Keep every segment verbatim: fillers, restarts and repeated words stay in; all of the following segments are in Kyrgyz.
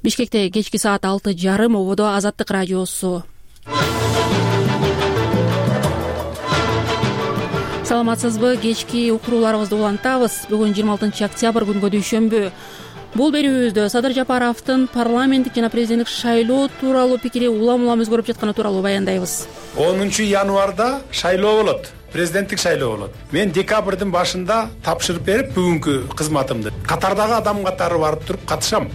Бишкекте кечки саат алты жарым ободо Азаттык радиосу. Саламатсызбы? Кечки уктурууларыбызды улантабыз. Бүгүн жыйырма алтынчы октябрь күнгө дүйшөмбү. Бул берүүбүздө Садыр Жапаровдун парламенттик жана президенттик шайлоо тууралуу пикири улам-улам өзгөрүп жатканы тууралуу баяндайбыз. онунчу январда шайлоо болот, президенттик шайлоо болот. Мен декабрдын башында тапшырып берип, бүгүнкү кызматымды катардагы адам катары барып туруп катышам.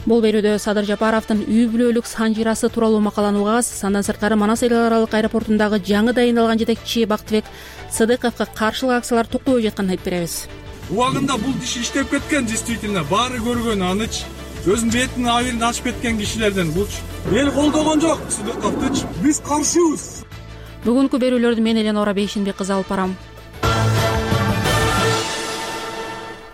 Бул берүүдө Садыр Жапаровдун үй бүлөлүк санжирасы тууралуу макаланы угабыз. Андан сырткары Манас эл аралык аэропортундагы жаңы дайындалган жетекчи Бактыбек Сыдыковго каршылык акциялар токтобой жатканын айтып беребиз. Убагында бул иш иштеп кеткен, действительно баары көргөн аныч, өзүнүн бетинин абийирин ачып кеткен кишилерден булчу. Эл колдогон жок Сыдыковдучу. Биз каршыбыз. Бүгүнкү берүүлөрдү мен Эленора Бейшенбек кызы алып барам.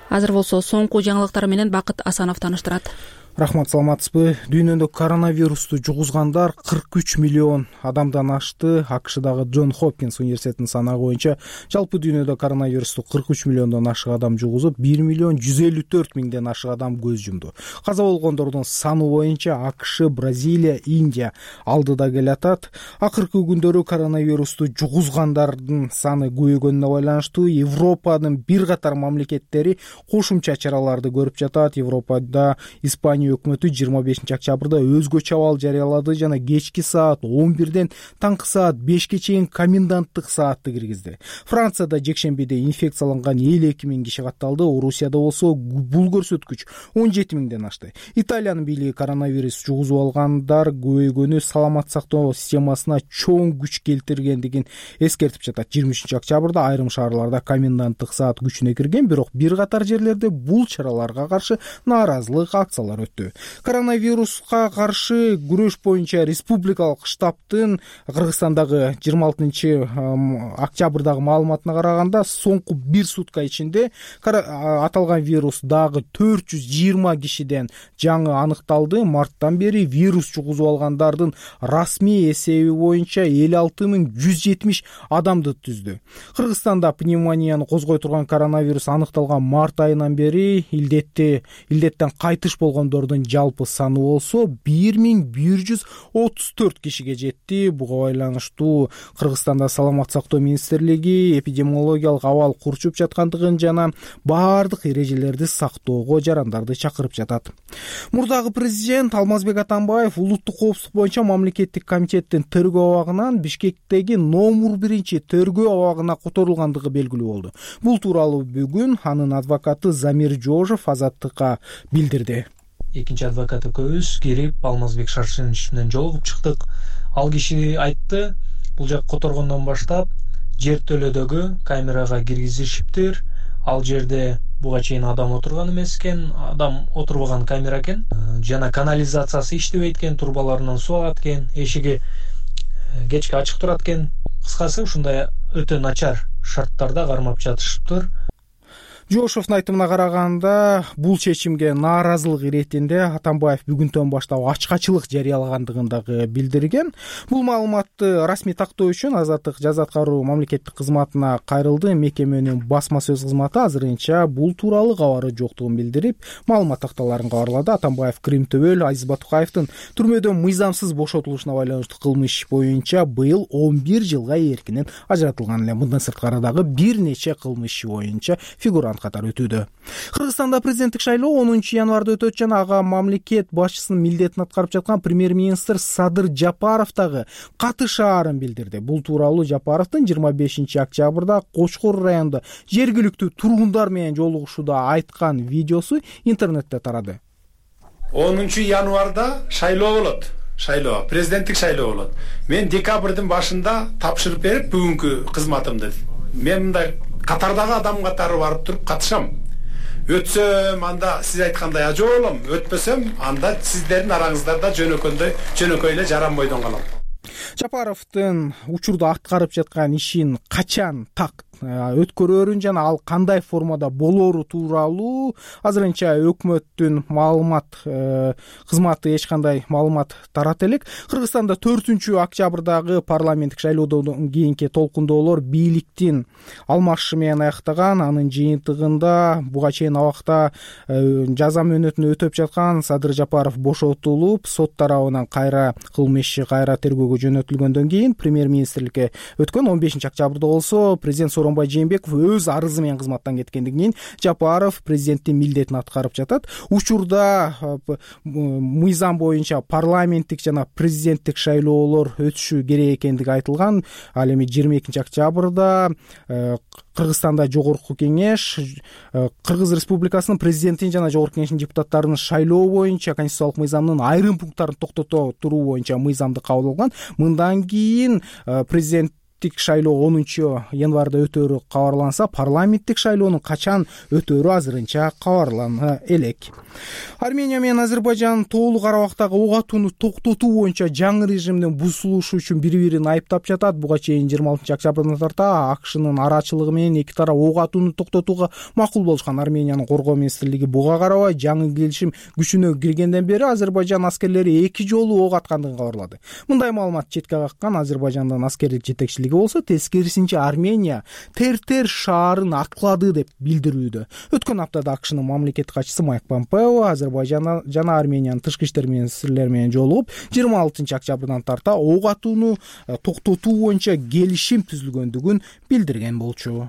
Азыр болсо соңку жаңылыктар менен Бакыт Асанов тааныштырат. Рахмат, саламатсызбы? Дүйнөдө коронавирусту жугузгандар кырк үч миллион адамдан ашты. АКШдагы Джон Хопкинс университетинин санагы боюнча жалпы дүйнөдө коронавирусту кырк үч миллиондон ашык адам жугузуп, бир миллион жүз элүү төрт миңден ашык адам көз жумду. Каза болгондордун саны боюнча АКШ, Бразилия, Индия алдыда келатат. Акыркы күндөрү коронавирусту жугузгандардын саны көбөйгөнүнө байланыштуу Европанын бир катар мамлекеттери кошумча чараларды көрүп жатат. Европада Испания өкмөтү жыйырма бешинчи октябрда өзгөчө абал жарыялады жана кечки саат он бирден таңкы саат бешке чейин коменданттык саатты киргизди. Францияда жекшембиде инфекцияланган элүү эки миң киши катталды. Орусияда болсо бул көрсөткүч он жети миңден ашты. Италиянын бийлиги коронавирус жугузуп алгандар көбөйгөнү саламат сактоо системасына чоң күч келтиргендигин эскертип жатат. жыйырма үчүнчү октябрда айрым шаарларда коменданттык саат күчүнө кирген, бирок бир катар жерлерде бул чараларга каршы нааразылык акциялар өттү. Коронавируска каршы күрөш боюнча республикалык штабтын Кыргызстандагы жыйырма алтынчы октябрдагы маалыматына караганда, соңку бир сутка ичинде аталган вирус дагы төрт жүз жыйырма кишиден жаңы аныкталды. Марттан бери вирус жугузуп алгандардын расмий эсеби боюнча элүү алты миң жүз жетимиш адамды түздү. Кыргызстанда пневмонияны козгой турган коронавирус аныкталган март айынан бери илдетти илдеттен кайтыш болгондордун жалпы саны болсо бир миң бир жүз отуз төрт кишиге жетти. Буга байланыштуу Кыргызстанда саламат сактоо министрлиги эпидемиологиялык абал курчуп жаткандыгын жана баардык эрежелерди сактоого жарандарды чакырып жатат. Мурдагы президент Алмазбек Атамбаев улуттук коопсуздук боюнча мамлекеттик комитеттин тергөө абагынан Бишкектеги номер биринчи тергөө абагына которулгандыгы белгилүү болду. Бул тууралуу бүгүн анын адвокаты Замир Жожов Азаттыкка билдирди. Экинчи адвокат экөөбүз кирип Алмазбек Шаршенович менен жолугуп чыктык. Ал киши айтты, бул жак которгондон баштап жертөлөдөгү камерага киргизишиптир. Ал жерде буга чейин адам отурган эмес экен, адам отурбаган камера экен. Жана канализациясы иштебейт экен, турбаларынан суу агат экен, эшиги кечке ачык турат экен. Кыскасы ушундай өтө начар шарттарда кармап жатышыптыр. Жошовдун айтымына караганда, бул чечимге нааразылык иретинде Атамбаев бүгүнтөн баштап ачкачылык жарыялагандыгын дагы билдирген. Бул маалыматты расмий тактоо үчүн Азаттык жаза аткаруу мамлекеттик кызматына кайрылды. Мекеменин басма сөз кызматы азырынча бул тууралуу кабары жоктугун билдирип, маалымат такталарын кабарлады. Атамбаев Крим Төбөл Азиз Батукаевдин түрмөдөн мыйзамсыз бошотулушуна байланыштуу кылмыш боюнча быйыл он бир жылга эркинен ажыратылган эле. Мындан сырткары дагы бир нече кылмыш боюнча фигурант катары өтүүдө. Кыргызстанда президенттик шайлоо онунчу январда өтөт жана ага мамлекет башчысынын милдетин аткарып жаткан премьер-министр Садыр Жапаров дагы катышаарын билдирди. Бул тууралуу Жапаровдун жыйырма бешинчи октябрда Кочкор районунда жергиликтүү тургундар менен жолугушууда айткан видеосу интернетте тарады. онунчу январда шайлоо болот. Шайлоо, президенттик шайлоо болот. Мен декабрдын башында тапшырып берип, бүгүнкү кызматымды мен мындай катардагы адам катары барып туруп катышам. Өтсөм, анда сиз айткандай ажоо болом, өтпөсөм, анда сиздердин араңыздарда жөнөкөйдөй, жөнөкөй эле жаранбойдон калам. Жапаровдун учурда аткарып жаткан ишин качан так өткөрөрүн жана ал кандай формада болоору тууралуу азырынча өкмөттүн маалымат кызматы эч кандай маалымат тарата элек. Кыргызстанда төртүнчү октябрдагы парламенттик шайлоодон кийинки толкундоолор бийликтин алмашышы менен аяктаган. Анын жыйынтыгында буга чейин абакта жаза мөөнөтүн өтөп жаткан Садыр Жапаров бошотулуп, сот тарабынан кайра кылмыш иши кайра тергөөгө жөнөтүлгөндөн кийин премьер-министрликке өткөн он бешинчи октябрда болсо президент Сооронбай Жээнбеков өз арызы менен кызматтан кеткенден кийин Жапаров президенттин милдетин аткарып жатат. Учурда мыйзам боюнча парламенттик жана президенттик шайлоолор өтүшү керек экендиги айтылган. Ал эми жыйырма экинчи октябрда Кыргызстанда Жогорку кеңеш Кыргыз Республикасынын президентин жана Жогорку кеңештин депутаттарын шайлоо боюнча конституциялык мыйзамдын айрым пункттарын токтото туруу боюнча мыйзамды кабыл алган. Мындан кийин президент шайлоо онунчу январда өтөөрү кабарланса, парламенттик шайлоонун качан өтөөрү азырынча кабарлана элек. Армения менен Азербайжан тоолуу Карабактагы ок атууну токтотуу боюнча жаңы режимдин бузулушу үчүн бири-бирин айыптап жатат. Буга чейин жыйырма алтынчы октябрдан тарта АКШнын арачылыгы менен эки тарап ок атууну токтотууга макул болушкан. Армениянын коргоо министрлиги буга карабай жаңы келишим күчүнө киргенден бери Азербайжан аскерлери эки жолу ок аткандыгын кабарлады. Мындай маалымат четке каккан Азербайжандын аскердик жетекчилиги болсо, тескерисинче Армения Тертер шаарын аткылады деп билдирүүдө. Өткөн аптада АКШнын мамлекеттик катчысы Майк Помпео Азербайжан жана Армениянын тышкы иштер министрлери менен жолугуп, жыйырма алтынчы октябрдан тарта ок атууну токтотуу боюнча келишим түзүлгөндүгүн билдирген болчу.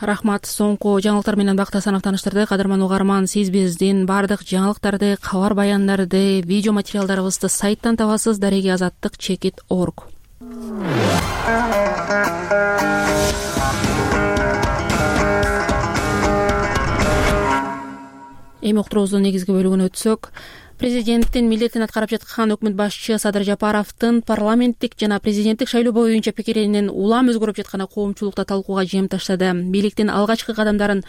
Рахмат. Соңку жаңылыктар менен Бакыт Асанов таныштырды. Кадырман угарман, сиз биздин бардык жаңылыктарды, кабар баяндарды, видео материалдарыбызды сайттан табасыз. Дареги азаттык чекит орг. Эми уктуруубуздун негизги бөлүгүнө өтсөк, президенттин милдетин аткарып жаткан өкмөт башчы Садыр Жапаровдун парламенттик жана президенттик шайлоо боюнча пикиринин улам өзгөрүп жатканы коомчулукта талкууга жем таштады. Бийликтин алгачкы кадамдарын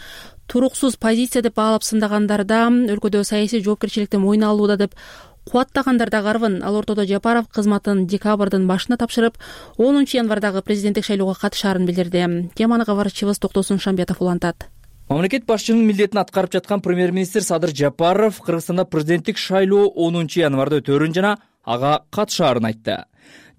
туруксуз позиция деп баалап сындагандарда, өлкөдө саясий жоопкерчиликти мойнуна алууда деп кубаттагандар да карбын. Ал ортодо Жапаров кызматын декабрдын башына тапшырып, онунчу январдагы президенттик шайлоого катышаарын билдирди. Теманы кабарчыбыз Токтосун Шамбиятов улантат. Мамлекет башчынын милдетин аткарып жаткан премьер-министр Садыр Жапаров Кыргызстанда президенттик шайлоо онунчу январда өтөөрүн жана ага катышаарын айтты.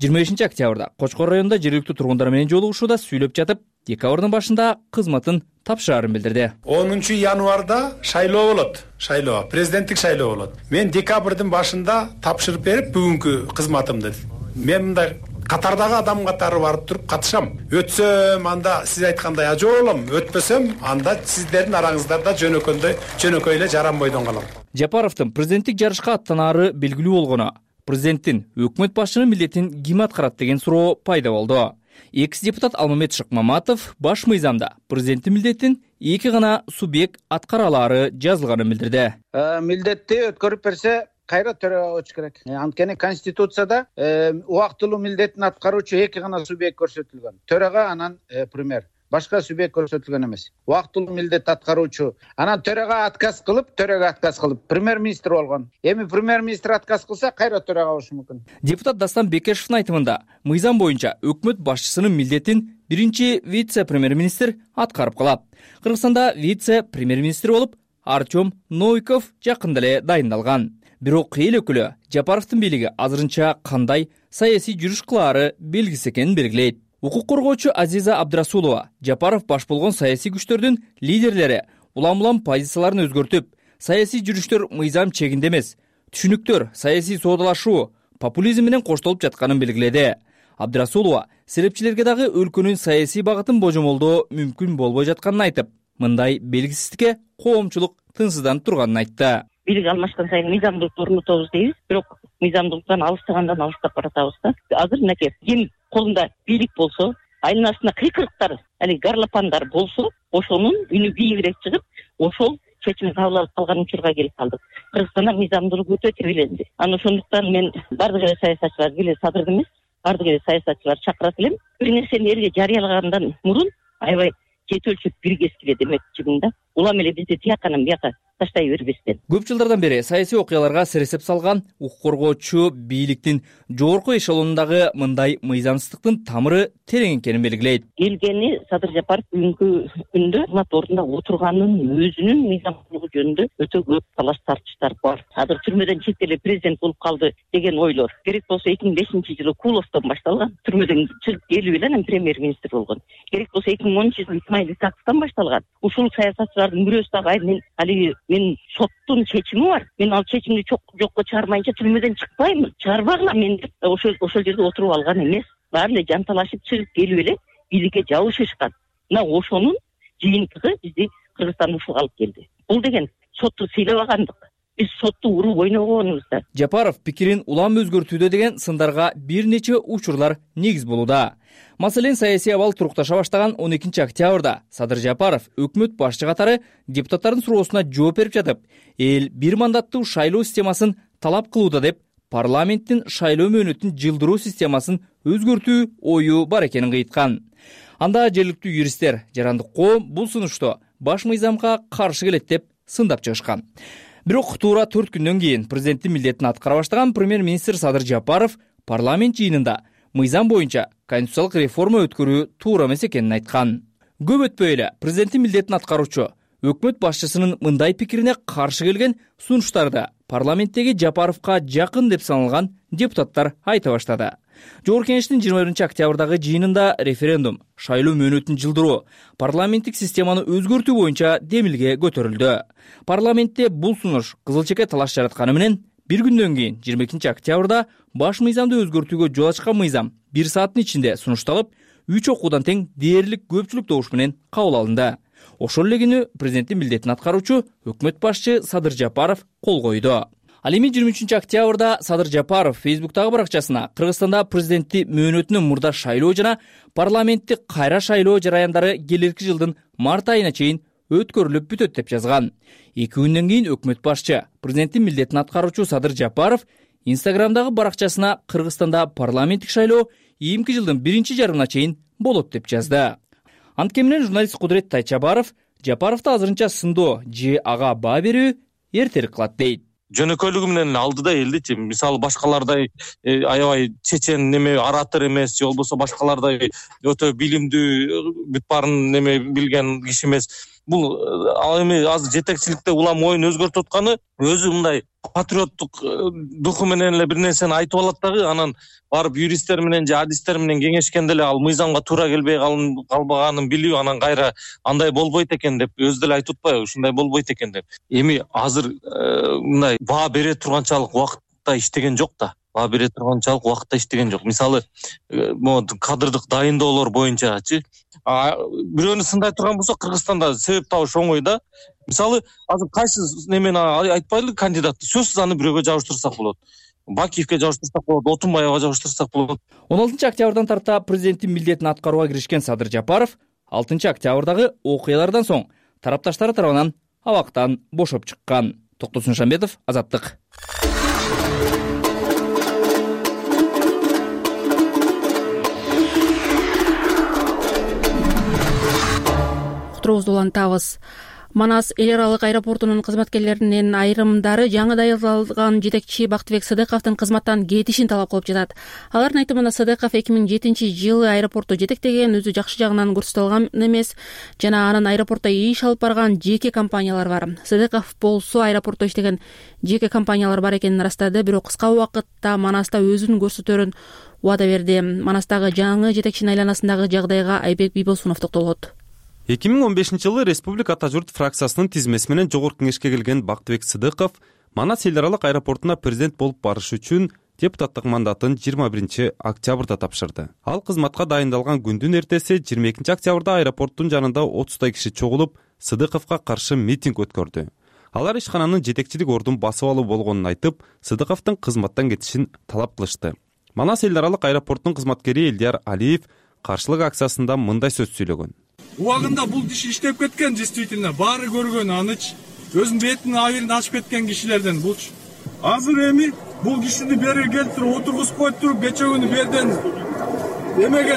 жыйырма бешинчи октябрда Кочкор районунда жергиликтүү тургундар менен жолугушууда сүйлөп жатып, декабрдын башында кызматын тапшырарын билдирди. онунчу январда шайлоо болот. Шайлоо, президенттик шайлоо болот. Мен декабрдын башында тапшырып берип, бүгүнкү кызматымды мен мындай катардагы адам катары барып туруп катышам. Өтсөм, анда сиз айткандай ажоо болом. Өтпөсөм, анда сиздердин араңыздарда жөнөкөндөй, жөнөкөй эле жаранбойдон калам. Жапаровдун президенттик жарышка аттанаары белгилүү болгону, президенттин өкмөт башчынын милдетин ким аткарат деген суроо пайда болду. Экс депутат Алмамет Шыкмаматов баш мыйзамда президенттин милдетин эки гана субъект аткара алаары жазылганын билдирди. Милдетти өткөрүп берсе, кайра төрага өтүш керек. Анткени Конституцияда убактылуу милдетин аткаруучу эки гана субъект көрсөтүлгөн. Төрага, анан премьер. Башка субъект көрсөтүлгөн эмес. Убактылуу милдет аткаруучу. Анан төрага отказ кылып, төрага отказ кылып, премьер-министр болгон. Эми премьер-министр отказ кылса, кайра төрага болушу мүмкүн. Депутат Дастан Бекешевдин айтымында, мыйзам боюнча өкмөт башчысынын милдетин биринчи вице-премьер-министр аткарып калат. Кыргызстанда вице-премьер-министр болуп Артем Новиков жакында эле дайындалган. Бирок эл өкүлү Жапаровдун бийлиги азырынча кандай саясий жүрүш кылаары белгисиз экенин белгилейт. Укук коргоочу Азиза Абдрасулова Жапаров баш болгон саясий күчтөрдүн лидерлери улам-улам позицияларын өзгөртүп, саясий жүрүштөр мыйзам чегинде эмес, түшүнүктөр, саясий соодалашуу, популизм менен коштолуп жатканын белгиледи. Абдрасулова серепчилерге дагы өлкөнүн саясий багытын божомолдоо мүмкүн болбой жатканын айтып, мындай белгисиздикке коомчулук тынчсызданып турганын айтты. Бийлик алмашкан сайын мыйзамдуулукту орнотобуз дейбиз, бирок мыйзамдуулуктан алыстагандан алыстап баратабыз да. Азыр мынакей ким колунда бийлик болсо, айланасында кыйкырыктар, али гарлапандар болсо, ошонун үнү бийигирээк чыгып, ошол чечим кабыл алып калган учурга келип калдык. Кыргызстанда мыйзамдуулук өтө тебиленди. Анан ошондуктан мен бардык эле саясатчылар, биле Садырды эмес, бардык эле саясатчылар чакырат элем. Бир нерсени элге жарыялагандан мурун аябай чет өлчөп бир кескиле демекчимин да. Улам эле бизде тияктан бияка таштай бербестен. Көп жылдардан бери саясий окуяларга сересеп салган укук коргоочу бийликтин жогорку эшелонундагы мындай мыйзамсыздыктын тамыры терең экенин белгилейт. Келгени Садыр Жапаров бүгүнкү күндө кызмат ордунда отурганын өзүнүн мыйзамдуулугу жөнүндө өтө көп талаш тартыштар бар. Азыр түрмөдөн чектелип президент болуп калды деген ойлор керек болсо эки миң бешинчи жылы Куловдон башталган. Түрмөдөн чыгып келип эле анан премьер-министр болгон. Керек болсо эки миң онунчу жылы Исмаил Исаковдон башталган. Ушул саясатчылардын бирөөсү дагы мен алиги мен соттун чечими бар. Мен ал чечимди жокко чыгармайынча түрмөдөн чыкпайм, чыгарбагыла мен деп ошол ошол жерде отуруп алган эмес. Баары эле жанталашып чыгып келип эле бийликке жабышышкан. Мына ошонун жыйынтыгы бизди Кыргызстанда ушуга алып келди. Бул деген сотту сыйлабагандык. Биз сотту уруп ойногонубузда. Жапаров пикирин улам өзгөртүүдө деген сындарга бир нече учурлар негиз болууда. Маселен, саясий абал турукташа баштаган он экинчи октябрда Садыр Жапаров өкмөт башчы катары депутаттардын суроосуна жооп берип жатып, эл бир мандаттуу шайлоо системасын талап кылууда деп парламенттин шайлоо мөөнөтүн жылдыруу системасын өзгөртүү ою бар экенин кыйткан. Анда жергиликтүү юристтер жарандык коом бул сунушту баш мыйзамга каршы келет деп сындап чыгышкан. Бирок туура төрт күндөн кийин президенттин милдетин аткара баштаган премьер-министр Садыр Жапаров парламент жыйынында мыйзам боюнча конституциялык реформа өткөрүү туура эмес экенин айткан. Көп өтпөй эле президенттин милдетин аткаруучу өкмөт башчысынын мындай пикирине каршы келген сунуштарды парламенттеги Жапаровка жакын деп саналган депутаттар айта баштады. Жогорку кеңештин жыйырма биринчи октябрдагы жыйынында референдум, шайлоо мөөнөтүн жылдыруу, парламенттик системаны өзгөртүү боюнча демилге көтөрүлдү. Парламентте бул сунуш кызыл чеке талаш жаратканы менен бир күндөн кийин жыйырма экинчи октябрда баш мыйзамды өзгөртүүгө жол ачкан мыйзам бир сааттын ичинде сунушталып, үч окуудан тең дээрлик көпчүлүк добуш менен кабыл алынды. Ошол эле күнү президенттин милдетин аткаруучу өкмөт башчы Садыр Жапаров кол койду. Ал эми жыйырма үчүнчү октябрда Садыр Жапаров Фейсбуктагы баракчасына Кыргызстанда президенттик мөөнөтүнүн мурда шайлоо жана парламенттик кайра шайлоо жараяндары келерки жылдын март айына чейин өткөрүлүп бүтөт деп жазган. Эки күндөн кийин өкмөт башчы президенттин милдетин аткаруучу Садыр Жапаров Инстаграмдагы баракчасына Кыргызстанда парламенттик шайлоо ийимки жылдын биринчи жарымына чейин болот деп жазды. Анткени менен журналист Кудурет Тайчабаров Жапаровду азырынча сындоо же ага баа берүү эртерээк кылат дейт. Жөнөкөйлүгү менен алдыда элдичи, мисалы башкалардай аябай чечен неме оратор эмес, же болбосо башкалардай өтө билимдүү бүт баарын неме билген киши эмес. Бул ал эми азыр жетекчиликте улам оюн өзгөртүп атканы өзү мындай патриоттук духу менен эле бир нерсени айтып алат дагы, анан барып юристтер менен же адистер менен кеңешкенде эле ал мыйзамга туура келбей калбаганын билип, анан кайра андай болбойт экен деп өзү деле айтып атпайбы, ушундай болбойт экен деп. Эми азыр мындай баа бере турганчалык убакытта иштеген жок да. Баа бере турганчалык убакытта иштеген жок. Мисалы, могу кадрдык дайындоолор боюнчачы бирөөнү сындай турган болсок, Кыргызстанда себеп табыш оңой да. Мисалы, азыр кайсы немени айтпайлы кандидатты сөзсүз аны бирөөгө жабыштырсак болот. Бакиевке жабыштырсак болот, Отунбаевга жабыштырсак болот. он алтынчы октябрдан тарта президенттин милдетин аткарууга киришкен Садыр Жапаров алтынчы октябрдагы окуялардан соң тарапташтары тарабынан абактан бошоп чыккан. Токтосун Шамбетов, Азаттык. Уктуруубузду улантабыз. Манас эл аралык аэропортунун кызматкерлеринин айрымдары жаңы дайындалган жетекчи Бактыбек Сыдыковдун кызматтан кетишин талап кылып жатат. Алардын айтымында Сыдыков эки миң жетинчи жылы аэропортто жетектеген, өзү жакшы жагынан көрсөтө эмес жана анын аэропортто иш алып барган жеке компаниялар бар. Сыдыков болсо аэропортто иштеген жеке компаниялар бар экенин ырастады, бирок кыска убакытта Манаста өзүн көрсөтөрүн убада берди. Манастагы жаңы жетекчинин айланасындагы жагдайга Айбек Бийбосунов токтолот. эки миң он бешинчи жылы Республика Ата журт фракциясынын тизмеси менен жогорку кеңешке келген Бактыбек Сыдыков Манас эл аралык аэропортуна президент болуп барыш үчүн депутаттык мандатын жыйырма биринчи октябрда тапшырды. Ал кызматка дайындалган күндүн эртеси жыйырма экинчи октябрда аэропорттун жанында отуздай киши чогулуп Сыдыковго каршы митинг өткөрдү. Алар ишкананын жетекчилик ордун басып алуу болгонун айтып, Сыдыковдун кызматтан кетишин талап кылышты. Манас эл аралык аэропорттун кызматкери Элдияр Алиев каршылык акциясында мындай сөз сүйлөгөн. Убагында бул иш иштеп кеткен, действительно баары көргөн аныч, өзүнүн бетинин абийирин ачып кеткен кишилерден булчу. Азыр эми бул кишини бери келтирип отургузуп коюп туруп, кече күнү берден эмеге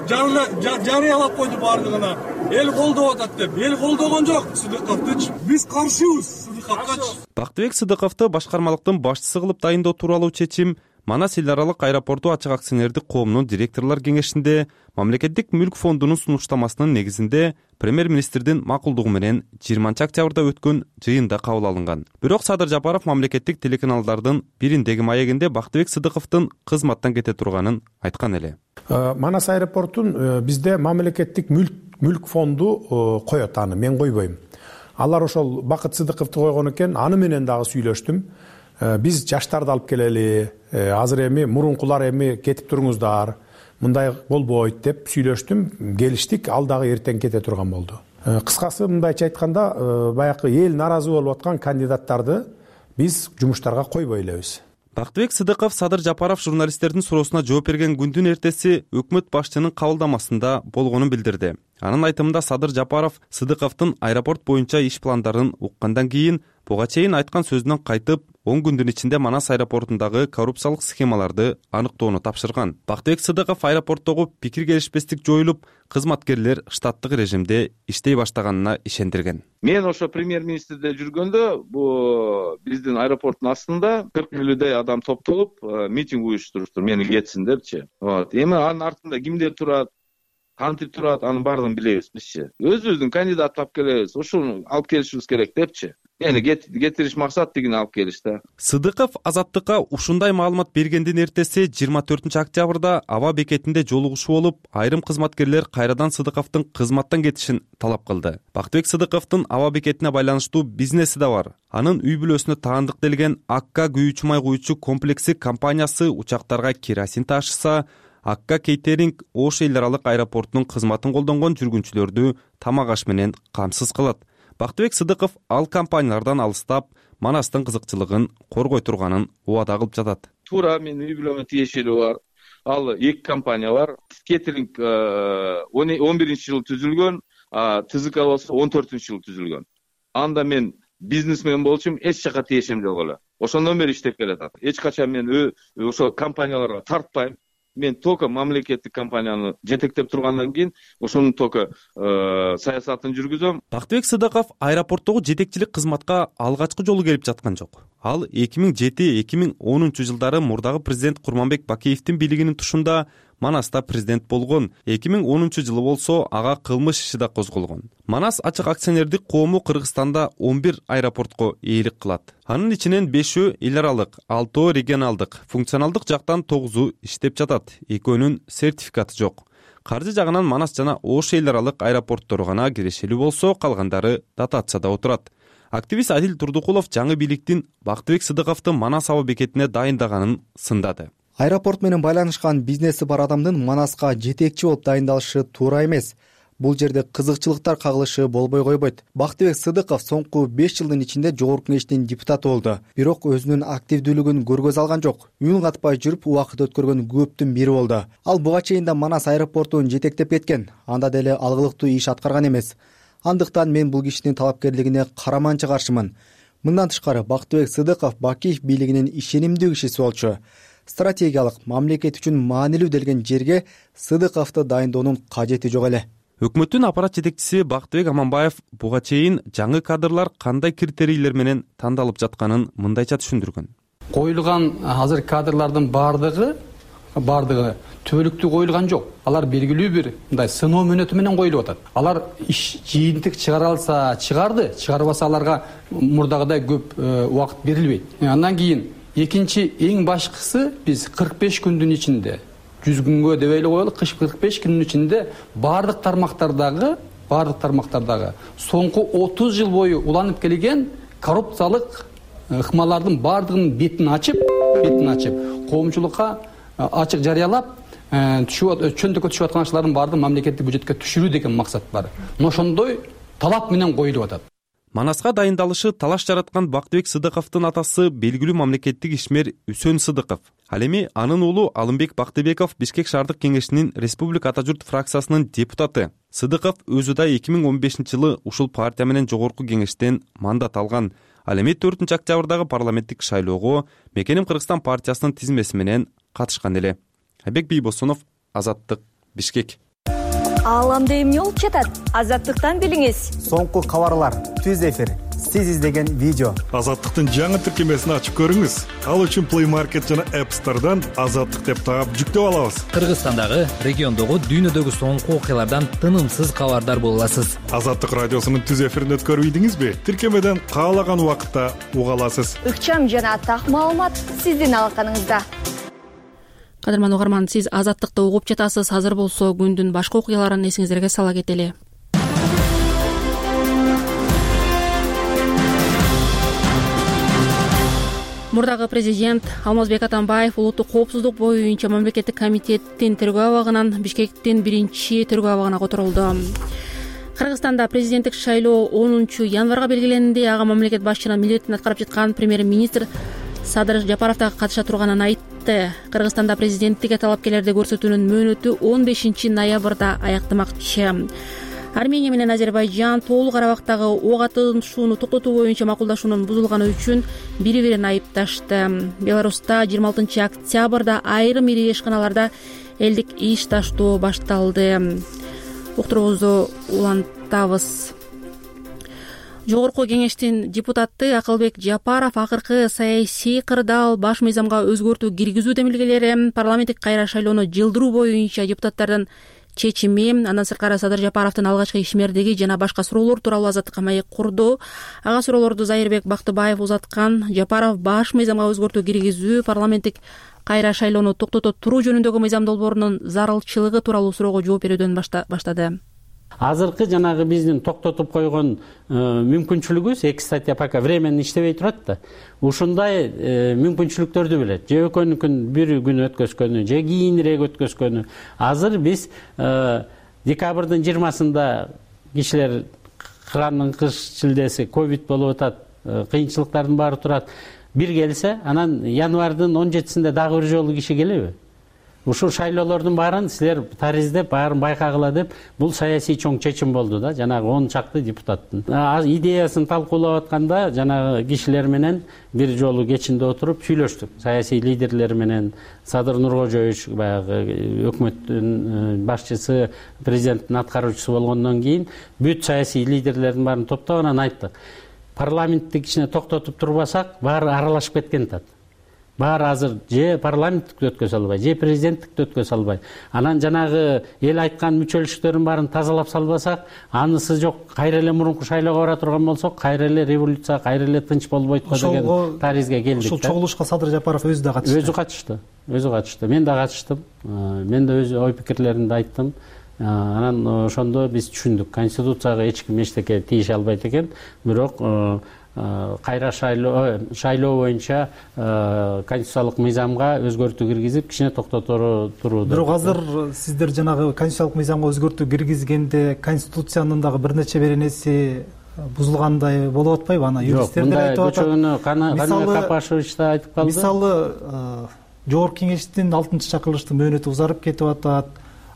жарыялап койду баардыгына. Эл колдоп атат деп. Эл колдогон жок Сыдыковдучу. Биз каршыбыз капкач. Бактыбек Сыдыковду башкармалыктын башчысы кылып дайындоо тууралуу чечим Манас эл аралык аэропорту ачык акционердик коомунун директорлор кеңешинде мамлекеттик мүлк фондунун сунуштамасынын негизинде премьер-министрдин макулдугу менен жыйырманчы октябрда өткөн жыйында кабыл алынган. Бирок Садыр Жапаров мамлекеттик телеканалдардын бириндеги маегинде Бактыбек Сыдыковдун кызматтан кете турганын айткан эле. Манас аэропортун бизде мамлекеттик мүлк фонду коет, аны мен койбойм. Алар ошол Бакыт Сыдыковду койгон экен, аны менен дагы сүйлөштүм. Биз жаштарды алып келели, азыр эми мурункулар эми кетип туруңуздар, мындай болбойт деп сүйлөштүм, келиштик, ал дагы эртең кете турган болду. Кыскасы мындайча айтканда, баягы эл наразы болуп аткан кандидаттарды биз жумуштарга койбой элебиз. Бактыбек Сыдыков Садыр Жапаров журналисттердин суроосуна жооп берген күндүн эртеси өкмөт башчынын кабылдамасында болгонун билдирди. Анын айтымында Садыр Жапаров Сыдыковдун аэропорт боюнча иш пландарын уккандан кийин буга чейин айткан сөзүнөн кайтып, он күндүн ичинде Манас аэропортундагы коррупциялык схемаларды аныктоону тапшырган. Бактыбек Сыдыков аэропорттогу пикир келишпестик жоюлуп, кызматкерлер штаттык режимде иштей баштаганына ишендирген. Мен ошо премьер-министрде жүргөндө бу биздин аэропорттун астында кырк элүүдөй адам топтолуп митинг уюштуруштур, мени кетсин депчи. Вот. Эми анын артында кимдер турат, кантип турат, анын баардыгын билебиз бизчи. Өзүбүздүн кандидат тап келебиз, ошону алып келишибиз керек депчи. Эни кетириш максат деген алып келишти. Сыдыков Азаттыкка ушундай маалымат бергендин эртеси жыйырма төртүнчү октябрда аба бекетинде жолугушуу болуп, айрым кызматкерлер кайрадан Сыдыковдун кызматтан кетишин талап кылды. Бактыбек Сыдыковдун аба бекетине байланыштуу бизнеси да бар. Анын үй бүлөсүнө таандык делген Акка күйүүчү май куючу комплекси компаниясы учактарга керосин ташыса, Акка кейтеринг Ош эл аралык аэропортунун кызматын колдонгон жүргүнчүлөрдү тамак аш менен камсыз кылат. Бактыбек Сыдыков ал компаниялардан алыстап, Манастын кызыкчылыгын коргой турганын убада кылып жатат. Туура менин үй бүлөмө тиешелүү бар. Ал эки компания бар. Кетеринг он биринчи жылы түзүлгөн, ТЗК болсо он төртүнчү жылы түзүлгөн. Анда мен бизнесмен болчумун, эч жака тиешем жок эле. Ошондон бери иштеп келатат. Эч качан мен ошо компанияларга тартпайм. Мен только мамлекеттик компанияны жетектеп тургандан кийин ошонун только саясатын жүргүзөм. Бактыбек Сыдыков аэропорттогу жетекчилик кызматка алгачкы жолу келип жаткан жок. Ал эки миң жети эки миң онунчу жылдары мурдагы президент Курманбек Бакиевдин бийлигинин тушунда Манаста президент болгон. эки миң онунчу жылы болсо ага кылмыш иши да козголгон. Манас ачык акционердик коому Кыргызстанда он бир аэропортко ээлик кылат. Анын ичинен бешөө эл аралык, алтоо регионалдык, функционалдык жактан тогузу иштеп жатат. Экөөнүн сертификаты жок. Каржы жагынан Манас жана Ош эл аралык аэропорттору гана кирешелүү болсо, калгандары дотацияда отурат. Активист Адил Турдукулов жаңы бийликтин Бактыбек Сыдыковду Манас аба бекетине дайындаганын сындады. Аэропорт менен байланышкан бизнеси бар адамдын Манаска жетекчи болуп дайындалышы туура эмес. Бул жерде кызыкчылыктар кагылышы болбой койбойт. Бактыбек Сыдыков соңку беш жылдын ичинде жогорку кеңештин депутаты болду. Бирок өзүнүн активдүүлүгүн көргөзө алган жок. Үн катпай жүрүп убакыт өткөргөн көптүн бири болду. Ал буга чейин да Манас аэропортун жетектеп кеткен. Анда деле алгылыктуу иш аткарган эмес. Андыктан мен бул кишинин талапкерлигине караманча каршымын. Мындан тышкары Бактыбек Сыдыков Бакиев бийлигинин ишенимдүү кишиси болчу. Стратегиялык, мамлекет үчүн маанилүү делген жерге Сыдыковду дайындоонун кажети жок эле. Өкмөттүн аппарат жетекчиси Бактыбек Аманбаев буга чейин жаңы кадрлар кандай критерийлер менен тандалып жатканын мындайча түшүндүргөн. Коюлган азыр кадрлардын баардыгы баардыгы түбөлүктүү коюлган жок. Алар белгилүү бир мындай сыноо мөөнөтү менен коюлуп атат. Алар иш жыйынтык чыгара алса чыгарды, чыгарбаса аларга мурдагыдай көп убакыт берилбейт. Андан кийин экинчи эң башкысы биз кырк беш күндүн ичинде жүз күнгө деп эле коелук, кыш кырк беш күндүн ичинде баардык тармактардагы, баардык тармактардагы соңку отуз жыл бою уланып келген коррупциялык ыкмалардын баардыгынын бетин ачып, бетин ачып, коомчулукка ачык жарыялап, чөндөккө түшүп аткан акчалардын баардыгын мамлекеттик бюджетке түшүрүү деген максат бар. Ошондой талап менен коюлуп атат. Манаска дайындалышы талаш жараткан Бактыбек Сыдыковдун атасы белгилүү мамлекеттик ишмер Үсөн Сыдыков. Ал эми анын уулу Алымбек Бактыбеков Бишкек шаардык кеңешинин Республика Ата журт фракциясынын депутаты. Сыдыков өзү да эки миң он бешинчи жылы ушул партия менен жогорку кеңештен мандат алган. Ал эми төртүнчү октябрдагы парламенттик шайлоого Мекеним Кыргызстан партиясынын тизмеси менен катышкан эле. Айбек Бийбосунов, Азаттык, Бишкек. Ааламда эмне болуп жатат? Азаттыктан билиңиз. Соңку кабарлар, түз эфир, сиз издеген видео. Азаттыктын жаңы тиркемесин ачып көрүңүз. Ал үчүн Play Market жана App Store'дан Азаттык деп таап жүктөп алабыз. Кыргызстандагы, региондогу, дүйнөдөгү соңку окуялардан тынымсыз кабардар боло аласыз. Азаттык радиосунун түз эфирин өткөрүп ийдиңизби? Тиркемеден каалаган убакытта уга аласыз. Ыкчам жана так маалымат сиздин алаканыңызда. Кадырман угарман, сиз Азаттыкты угуп жатасыз. Азыр болсо күндүн башка окуяларын эсиңиздерге сала кетели. Мурдагы президент Алмазбек Атамбаев улуттук коопсуздук боюнча мамлекеттик комитеттин тергөө абагынан Бишкектин биринчи тергөө абагына которулду. Кыргызстанда президенттик шайлоо онунчу январга белгиленди. Ага мамлекет башчынын милдетин аткарып жаткан премьер-министр Садыр Жапаров да катыша турганын айтты. Кыргызстанда президенттикке талапкерлерди көрсөтүүнүн мөөнөтү он бешинчи ноябрда аяктамакчы. Армения менен Азербайжан Тоолуу Карабактагы ок атышууну токтотуу боюнча макулдашуунун бузулганы үчүн бири-бирин айыпташты. Беларуста жыйырма алтынчы октябрда айрым ири ишканаларда элдик иш таштоо башталды. Уктуруубузду улантабыз. Жогорку кеңештин депутаты Акылбек Жапаров акыркы саясий кырдаал баш мыйзамга өзгөртүү киргизүү демилгелери, парламенттик кайра шайлоону жылдыруу боюнча депутаттардын чечими, андан сырткары Садыр Жапаровдун алгачкы ишмердиги жана башка суроолор тууралуу Азаттыкка маек курду. Ага суроолорду Зайырбек Бактыбаев узаткан. Жапаров баш мыйзамга өзгөртүү киргизүү, парламенттик кайра шайлоону токтото туруу жөнүндөгү мыйзам долбоорунун зарылчылыгы тууралуу суроого жооп берүүдөн баштады. Азыркы жанагы биздин токтотуп койгон мүмкүнчүлүгүбүз эки статья пока временно иштебей турат да. Ушундай мүмкүнчүлүктөрдү билет. Же экөөнүкүн бир күн өткөзгөнү, же кийинирээк өткөзгөнү. Азыр биз декабрдын жыйырмасында кишилер кыранын кыш шилдеси ковид болуп атат, кыйынчылыктардын баары турат. Бир келсе, анан январдын он жетисинде дагы бир жолу киши келеби? Ушул шайлоолордун баарын силер тариздеп, баарын байкагыла деп, бул саясий чоң чечим болду да, жанагы он чакты депутаттын. Идеясын талкуулап атканда жанагы кишилер менен бир жолу кечинде отуруп сүйлөштүк. Саясий лидерлер менен Садыр Нуркожоевич баягы өкмөттүн башчысы, президенттин аткаруучусу болгондон кийин бүт саясий лидерлердин баарын топтоп анан айттык. Парламенттик ишине токтотуп турбасак, баары аралашып кеткен тат. Баары азыр же парламенттикти өткөзө албай, же президенттикти өткөзө албай. Анан жанагы эл айткан мүчөлүштөрдүн баарын тазалап салбасак, анысы жок, кайра эле мурунку шайлоого бара турган болсок, кайра эле революция, кайра эле тынч болбойт го деген таризге келдик. Ушул чогулушка Садыр Жапаров өзү да катышты. Өзү катышты. Өзү катышты. Мен да катыштым. Мен да өз ой пикирлеримди айттым. Анан ошондо биз түшүндүк, конституцияга эч ким эчтеке тийише албайт экен, бирок кайра шайлоо шайлоо боюнча конституциялык мыйзамга өзгөртүү киргизип, кичине токтото турууду. Бирок азыр сиздер жанагы конституциялык мыйзамга өзгөртүү киргизгенде конституциянын дагы бир нече беренеси бузулгандай болуп атпайбы? Ана юристтер айтып атат. Кана Капашевич да айтып калды. Мисалы, жогорку кеңештин алтынчы чакырылыштын мөөнөтү узарып кетип атат.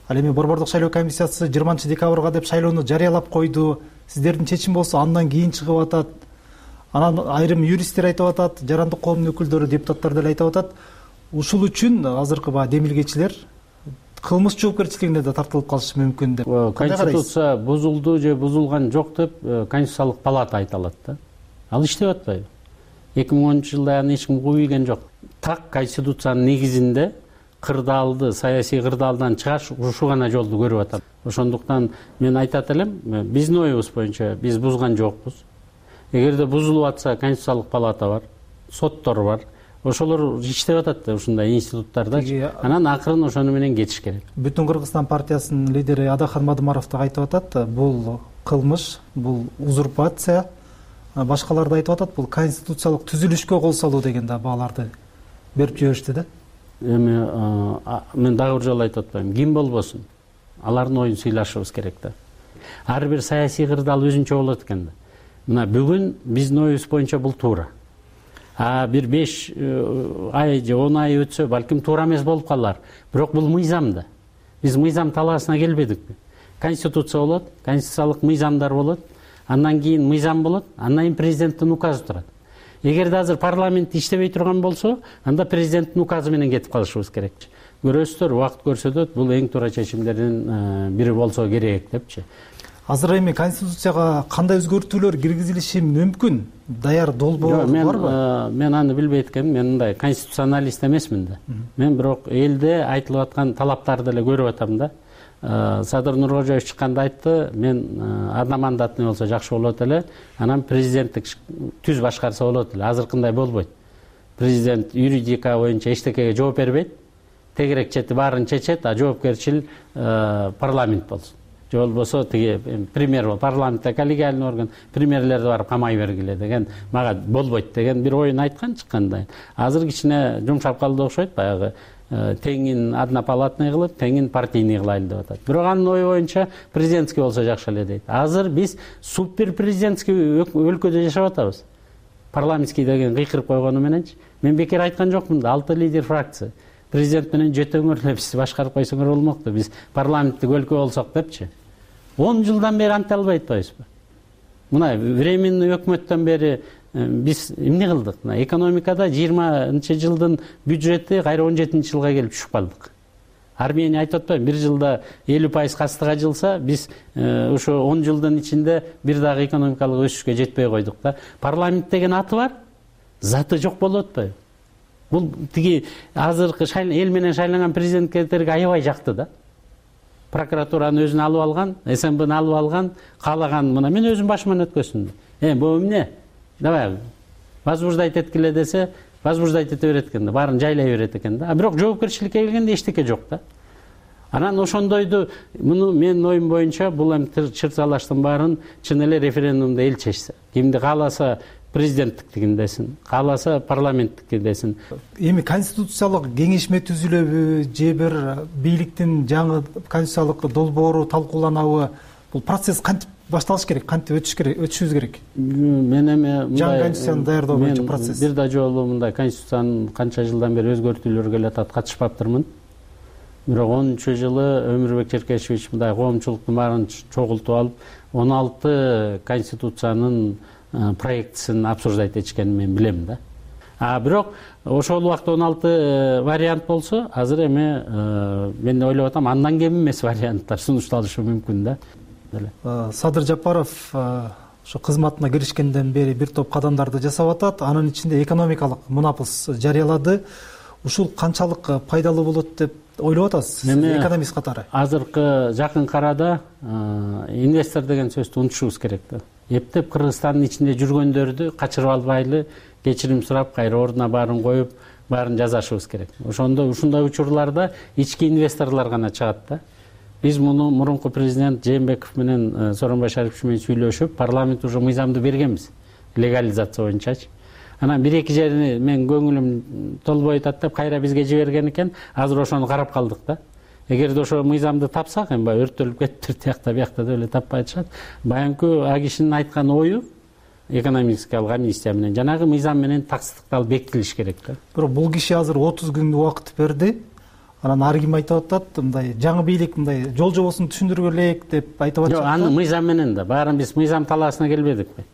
Ал эми борбордук шайлоо комиссиясы жыйырманчы декабрга деп шайлоону жарыялап койду. Сиздердин чечим болсо андан кийин чыгып атат. Анан айрым юристтер айтып атат, жарандык коомдун өкүлдөрү, депутаттар деле айтып атат. Ушул үчүн азыркы баягы демилгечилер кылмыш жоопкерчилигине да тартылып калышы мүмкүн деп. Конституция бузулду же бузулган жок деп конституциялык палата айта алат да. Ал иштеп атпайбы? эки миң онунчу жылда аны эч ким кууйген жок. Так конституциянын негизинде кырдаалды, саясий кырдаалдан чыгаш ушу гана жолду көрүп атат. Ошондуктан мен айтат элем, биздин оюбуз боюнча биз бузган жокпуз. Эгерде бузулуп атса, конституциялык палата бар, соттор бар. Ошолор иштеп атат да ушундай институттарда. Анан акырын ошону менен кетиш керек. Бүтүн Кыргызстан партиясынын лидери Адахан Мадымаров да айтып атат, бул кылмыш, бул узурпация. Башкалар да айтып атат, бул конституциялык түзүлүшкө кол салуу деген да бааларды берип жиберишти да. Эми мен дагы бир жолу айтып атпайм, ким болбосун, алардын оюн сыйлашыбыз керек да. Ар бир саясий кырдаал өзүнчө болот экен да. Мына бүгүн биздин оюбуз боюнча бул туура. А бир беш ай же он ай өтсө, балким туура эмес болуп калар. Бирок бул мыйзам да. Биз мыйзам талаасына келбедикпи? Конституция болот, конституциялык мыйзамдар болот, андан кийин мыйзам болот, андан кийин президенттин указы турат. Эгерде азыр парламент иштебей турган болсо, анда президенттин указы менен кетип калышыбыз керек. Көрөсүздөр, убакыт көрсөтөт, бул эң туура чечимдердин бири болсо керек депчи. азыр эми конституцияга кандай өзгөртүүлөр киргизилиши мүмкүн? Даяр долбоор барбы? Мен аны билбейт экенмин. Мен мындай конституционалист эмесмин да. Мен бирок элде айтылып аткан талаптарды эле көрүп атам да. Садыр Нуркожоевич чыкканда айтты, мен одномандатный болсо жакшы болот эле, анан президенттик түз башкарса болот эле. Азыркындай болбойт. Президент юридика боюнча эчтекеге жооп бербейт. Тегерек чети баарын чечет, а жоопкерчил парламент болсун. Же болбосо тиги премьер бол, парламентте коллегиальный орган, премьерлерди барып камай бергиле деген, мага болбойт деген бир оюн айткан чыкканда. Азыр кичине жумшап калды окшойт, баягы теңин однопалатный кылып, теңин партийный кылайлы деп атат. Бирок анын ою боюнча президентский болсо жакшы эле дейт. Азыр биз супер президентский өлкөдө жашап атабыз. Парламентский деген кыйкырып койгону мененчи. Мен бекер айткан жокмун да, алты лидер фракция. Президент менен жөтөңөр эле биз башкарып койсоңор болмокту. Биз парламенттик өлкө болсок депчи. он жылдан бери анте албай атпайбызбы? Мына временный өкмөттөн бери биз эмне кылдык? Мына экономикада жыйырманчы жылдын бюджети кайра он жетинчи жылга келип түшүп калдык. Армения айтып атпайбы, бир жылда элүү пайыз кастыга жылса, биз ошо он жылдын ичинде бир дагы экономикалык өсүшкө жетпей койдук да. Парламент деген аты бар, заты жок болуп атпайбы? Бул тиги азыркы эл менен шайланган президенттерге аябай жакты да. Прокуратураны өзүнө алып алган, СМБны алып алган, каалаган мына мен өзүм башыман өткөзсүм. Э, бул эмне? Давай возбуждать эткиле десе, возбуждать эте берет экен да, баарын жайлай берет экен да. А бирок жоопкерчиликке келгенде эчтеке жок да. Анан ошондойду муну менин оюм боюнча бул эми чырсалаштын баарын чын эле референдумда эл чечсе. Кимди кааласа президенттиктигин десин, кааласа парламенттикин десин. Эми конституциялык кеңешме түзүлөбү же бир бийликтин жаңы конституциялык долбоору талкууланабы? Бул процесс кантип башталыш керек, кантип өтүш керек, өтүшүбүз керек? Мен эми жаңы конституцияны даярдоо боюнча процесс. Бир да жолу мындай конституциянын канча жылдан бери өзгөртүүлөр келе атат, катышпаптырмын. Бирок онунчу жылы Өмүрбек Черкешевич мындай коомчулуктун баарын чогултуп алып, он алты конституциянын проектисин обсуждать этишкенин мен билем да. А бирок ошол убакта он алты вариант болсо, азыр эми мен ойлоп атам, андан кем эмес варианттар сунушталышы мүмкүн да. Садыр Жапаров ошо кызматына киришкенден бери бир топ кадамдарды жасап атат. Анын ичинде экономикалык мунапыс жарыялады. Ушул канчалык пайдалуу болот деп ойлоп атасыз, экономист катары? Азыркы жакын арада инвестор деген сөздү унутушубуз керек да. Эптеп Кыргызстандын ичинде жүргөндөрдү качырып албайлы, кечирим сурап, кайра ордуна баарын коюп, баарын жазашыбыз керек. Ошондо ушундай учурларда ички инвесторлор гана чыгат да. Биз муну мурунку президент Жээнбеков менен Сооронбай Шарипович менен сүйлөшүп, парламент уже мыйзамды бергенбиз, легализация боюнчачы. Анан бир эки жерини мен көңүлүм толбой атат деп кайра бизге жиберген экен, азыр ошону карап калдык да. Эгерде ошо мыйзамды тапсак, эми баягы өрттөлүп кетиптир, тиякта биякта деп эле таппай атышат. Баягы а кишинин айткан ою экономический амнистия менен жанагы мыйзам менен таксттыкталып бекитилиш керек да. Бирок бул киши азыр отуз күн убакыт берди. Анан ар ким айтып атат, мындай жаңы бийлик мындай жол жобосун түшүндүргө элек деп айтып атышат. Жок, аны мыйзам менен да, баарын биз мыйзам талаасына келбедикпи?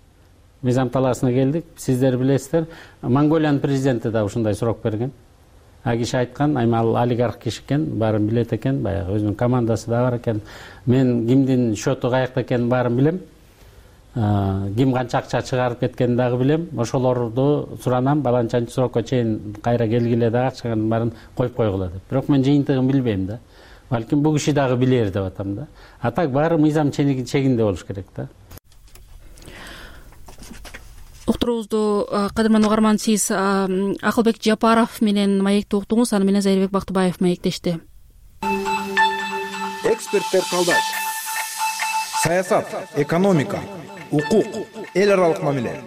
Мыйзам талаасына келдик. Сиздер билесиздер, Монголиянын президенти да ушундай суроо берген. А киши айткан, айма ал олигарх киши экен, баарын билет экен, баягы өзүнүн командасы да бар экен. Мен кимдин счету каякта экенин баарын билем. Ким канча акча чыгарып кеткенин дагы билем. Ошолорду суранам, баланчанчы срокко чейин кайра келгиле дагы акчанын баарын коюп койгула деп. Бирок мен жыйынтыгын билбейм да. Балким бул киши дагы билер деп атам да. А так баары мыйзам чегинде болуш керек да. Уктуруубузду кадырман угарман, сиз Акылбек Жапаров менен маекти уктуңуз, аны менен Зайырбек Бактыбаев маектешти. Эксперттер калдаш. Саясат, экономика, укук, эл аралык мамиле,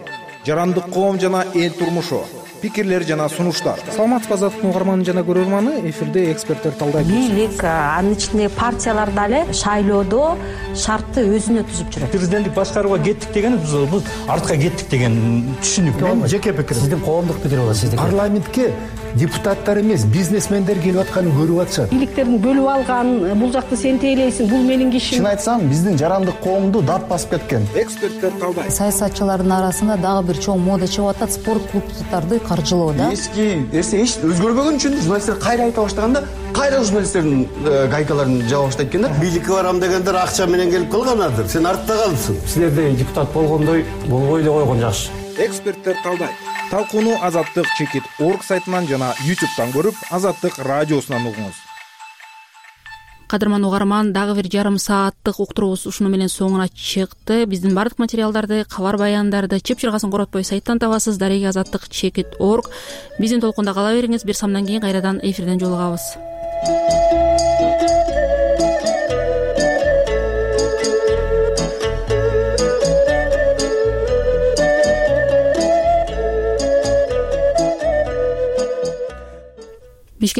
жарандык коом жана эл турмушу, пикирлер жана сунуштар. Саламатсызбы азаттыктын угарманы жана көрөрманы, эфирде эксперттер талдайт. Бийлик, анын ичинде партиялар дагы шайлоодо шартты өзүнө түзүп жүрөт. Президенттик башкарууга кеттик деген биз артка кеттик деген түшүнүк. Мен жеке пикирим. Сиздин коомдук пикир болот, сиздики. Парламентке депутаттар эмес, бизнесмендер келип атканын көрүп атышат. Бийликтерин бөлүп алган, бул жакты сен тейлейсиң, бул менин кишим. Чын айтсам, биздин жарандык коомду дат басып кеткен. Эксперттер талдайт. Саясатчылардын арасында дагы бир чоң мода чыгып атат, спорт клубдарды каржылоо да. Эски нерсе эч өзгөрбөгөн үчүн журналисттер кайра айта баштаганда, кайра журналисттердин гайкаларын жаба баштайт экен да. Бийликке барам дегендер акча менен келип калганадыр. Сен артта калыпсың. Силердей депутат болгондой болбой эле койгон жакшы. Эксперттер талдайт. Талкууну Азаттык чекит орг сайтынан жана ютубтан көрүп, Азаттык радиосунан угуңуз. Кадырман угарман, дагы бир жарым сааттык уктуруубуз ушуну менен соңуна чыкты. Биздин бардык материалдарды, кабар баяндарды чып-чыргасын коротпой сайттан табасыз. Дареги азаттык чекит орг. Биздин толкунда кала бериңиз. Бир самдан кийин кайрадан эфирден жолугабыз.